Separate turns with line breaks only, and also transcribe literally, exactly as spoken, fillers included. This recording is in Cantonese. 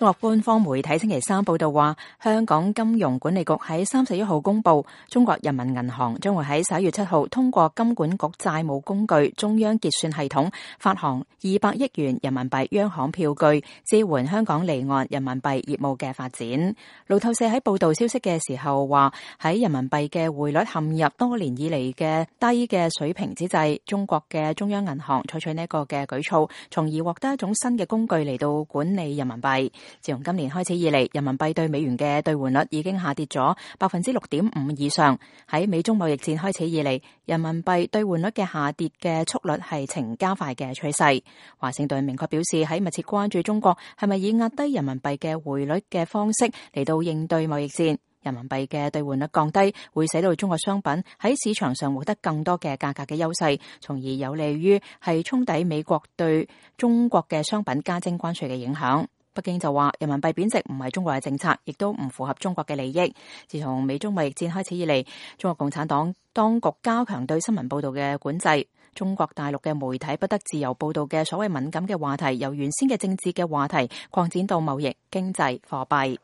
中國官方媒體星期三報道話，香港金融管理局喺三十一號公布，中國人民銀行將會喺十一月七號通過金管局債務工具中央結算系統發行二百億元人民幣央行票據，支援香港離岸人民幣業務嘅發展。路透社喺報道消息嘅時候話，喺人民幣嘅匯率陷入多年以嚟嘅低嘅水平之際，中國嘅中央銀行採取呢一個嘅舉措，從而獲得一種新嘅工具嚟到管理人民幣。自從今年開始以嚟，人民幣對美元嘅兌換率已經下跌咗百分之六點五以上。喺美中貿易戰開始以嚟，人民幣兌換率嘅下跌嘅速率係呈加快嘅趨勢。華盛頓明確表示，喺密切關注中國係咪以壓低人民幣嘅匯率嘅方式嚟到應對貿易戰。人民幣嘅兌換率降低，會使到中國商品喺市場上獲得更多嘅價格嘅優勢，從而有利於係沖抵美國對中國嘅商品加徵關稅嘅影響。北京就話，人民幣貶值唔係中國嘅政策，亦都唔符合中國嘅利益。自從美中貿易戰開始以嚟，中國共產黨當局加強對新聞報道嘅管制，中國大陸嘅媒體不得自由報道嘅所謂敏感嘅話題，由原先嘅政治嘅話題擴展到貿易、經濟、貨幣。